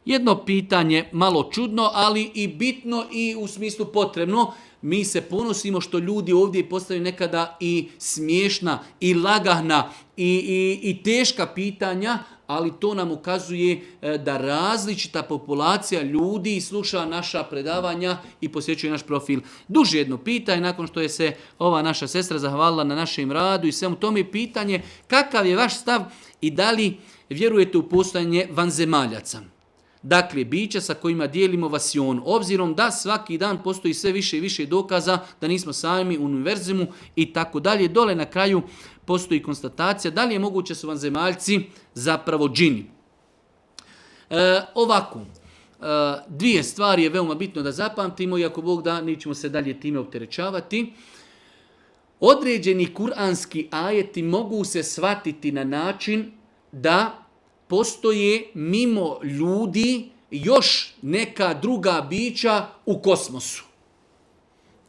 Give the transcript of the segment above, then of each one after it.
Jedno pitanje malo čudno, ali i bitno i u smislu potrebno. Mi se ponosimo što ljudi ovdje postavljaju nekada i smiješna, i lagahna, i teška pitanja, ali to nam ukazuje da različita populacija ljudi sluša naša predavanja i posjećuje naš profil. Duže jedno pitanje, nakon što je se ova naša sestra zahvalila na našem radu i svemu tome, pitanje kakav je vaš stav i da li vjerujete u postojanje vanzemaljaca. Dakle, bića sa kojima dijelimo vasion, obzirom da svaki dan postoji sve više i više dokaza da nismo sami u univerzimu i tako dalje. Dole na kraju postoji konstatacija da li je moguće su vanzemaljci zapravo džini. Ovako, dvije stvari je veoma bitno da zapamtimo i ako Bog da, nećemo se dalje time opterećavati. Određeni kuranski ajeti mogu se shvatiti na način da postoje mimo ljudi još neka druga bića u kosmosu.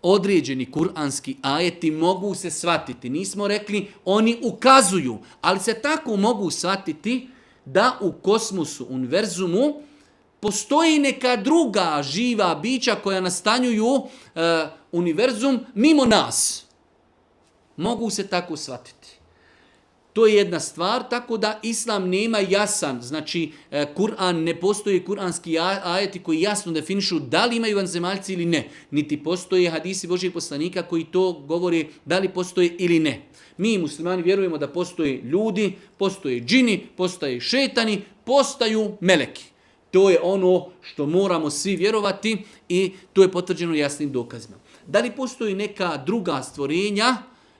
Određeni kuranski ajeti mogu se shvatiti. Nismo rekli oni ukazuju, ali se tako mogu shvatiti da u kosmosu, univerzumu, postoji neka druga živa bića koja nastanjuju univerzum mimo nas. Mogu se tako shvatiti. To je jedna stvar, tako da Islam nema jasan, znači Kur'an, ne postoji kuranski ajeti koji jasno definišu da li imaju vanzemaljci ili ne. Niti postoje hadisi Božih poslanika koji to govore da li postoje ili ne. Mi muslimani vjerujemo da postoje ljudi, postoje džini, postoje šetani, postaju meleki. To je ono što moramo svi vjerovati i to je potvrđeno jasnim dokazima. Da li postoji neka druga stvorenja?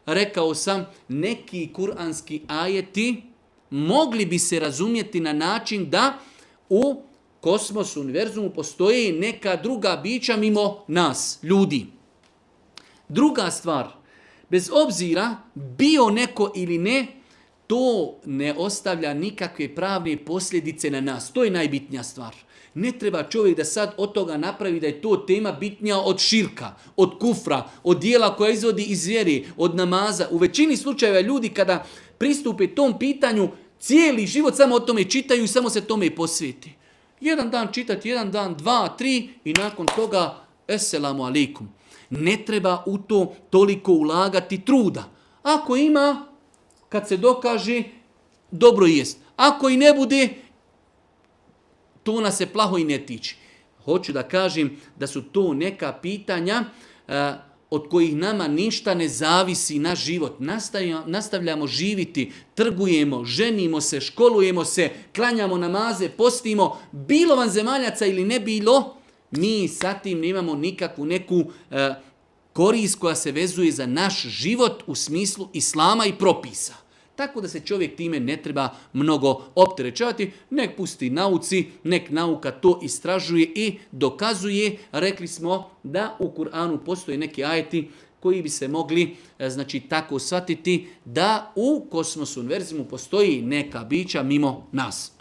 Rekao sam, neki kuranski ajeti mogli bi se razumjeti na način da u kosmosu, univerzumu postoji neka druga bića mimo nas, ljudi. Druga stvar, bez obzira bio neko ili ne, to ne ostavlja nikakve pravne posljedice na nas. To je najbitnija stvar. Ne treba čovjek da sad od toga napravi da je to tema bitnija od širka, od kufra, od dijela koja izvodi iz vjere, od namaza. U većini slučajeva ljudi kada pristupe tom pitanju, cijeli život samo o tome čitaju i samo se tome posveti. Jedan dan čitati, jedan dan, 2, 3 i nakon toga eselamu alaikum. Ne treba u to toliko ulagati truda. Ako ima, kad se dokaže, dobro jest. Ako i ne bude, to nas se plaho i ne tiče. Hoću da kažem da su to neka pitanja od kojih nama ništa ne zavisi na život. Nastavljamo živiti, trgujemo, ženimo se, školujemo se, klanjamo namaze, postimo, bilo vanzemaljaca ili ne bilo, mi sa tim nemamo nikakvu neku korist koja se vezuje za naš život u smislu islama i propisa. Tako da se čovjek time ne treba mnogo opterećavati, nek pusti nauci, nek nauka to istražuje i dokazuje. Rekli smo da u Kur'anu postoje neki ajeti koji bi se mogli tako shvatiti da u kosmosu, univerzimu postoji neka bića mimo nas.